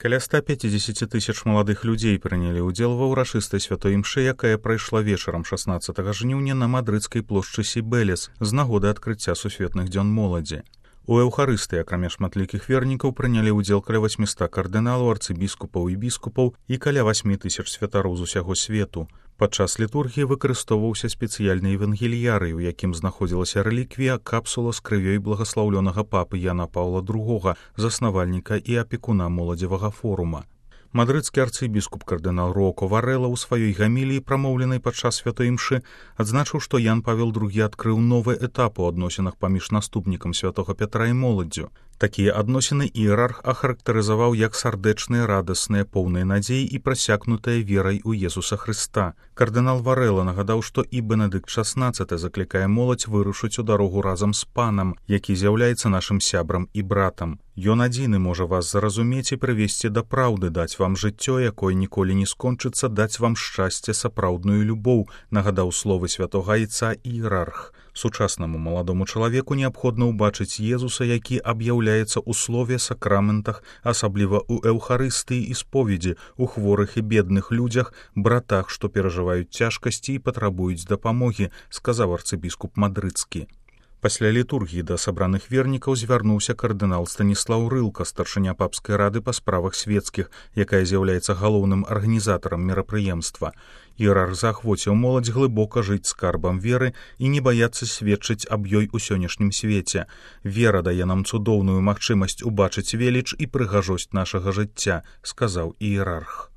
Каля 150 тысяч маладых людзей прынялі ўдзел ва ўрачыстай святой імшы, якая прайшла вечарам 16 жніўня на мадрыдскай плошчы Сібелес з нагоды адкрыцця сусветных дзён моладзі. У эўхарыстыі, акрамя шматлікіх вернікаў, прынялі ўдзел каля 800 кардыналаў, арцыбіскупаў і біскупаў і каля 8 тысяч святароў з усяго свету. Падчас літургіі выкарыстоўваўся спецыяльны евангеліярый, у якім знаходзілася рэліквія капсула з крывёй благаслаўлёнага папы Яна Паўла II, заснавальніка і апекуна моладзевага форума. Мадрыдскі арцыбіскуп кардынал Роко Варэла ў сваёй гаміліі, прамоўленай падчас святой імшы, адзначыў, што Ян Павел II адкрыў новы этап у адносінах паміж наступнікам святога Пятра і моладдзю. Такія адносіны іерарх ахарактарызаваў як сардэчныя, радасныя, поўныя надзеі і прасякнутыя верай у Езуса Хрыста. Кардынал Варэла нагадаў, што і Бенедыкт XVI заклікае моладзь вырушыць у дарогу разам з панам, які з'яўляецца нашым сябрам і братам. Ён адзіны можа вас зразумець і прывесці да праўды, даць вам жыццё, якое ніколі не скончыцца, даць вам шчасце, сапраўдную любоў, нагадаў словы святога айца іерарх. Сучаснаму маладому чалавеку неабходна ўбачыць Езуса, які аб'яўляецца ў слове, сакраментах, асабліва ў эўхарыстыі і споведзі, у хворых і бедных людзях, братах, што перажываюць цяжкасці і патрабуюць дапамогі, сказаў арцыбіскуп мадрыдскі. Пасля літургіі да сабраных вернікаў звярнуўся кардынал Станіслаў Рылка, старшыня папскай рады па справах свецкіх, якая з'яўляецца галоўным арганізатарам мерапрыемства. Іерарх заахвоціў моладзь глыбока жыць скарбам веры і не баяцца сведчыць аб ёй у сённяшнім свеце. Вера дае нам цудоўную магчымасць убачыць веліч і прыгажосць нашага жыцця, сказаў іерарх.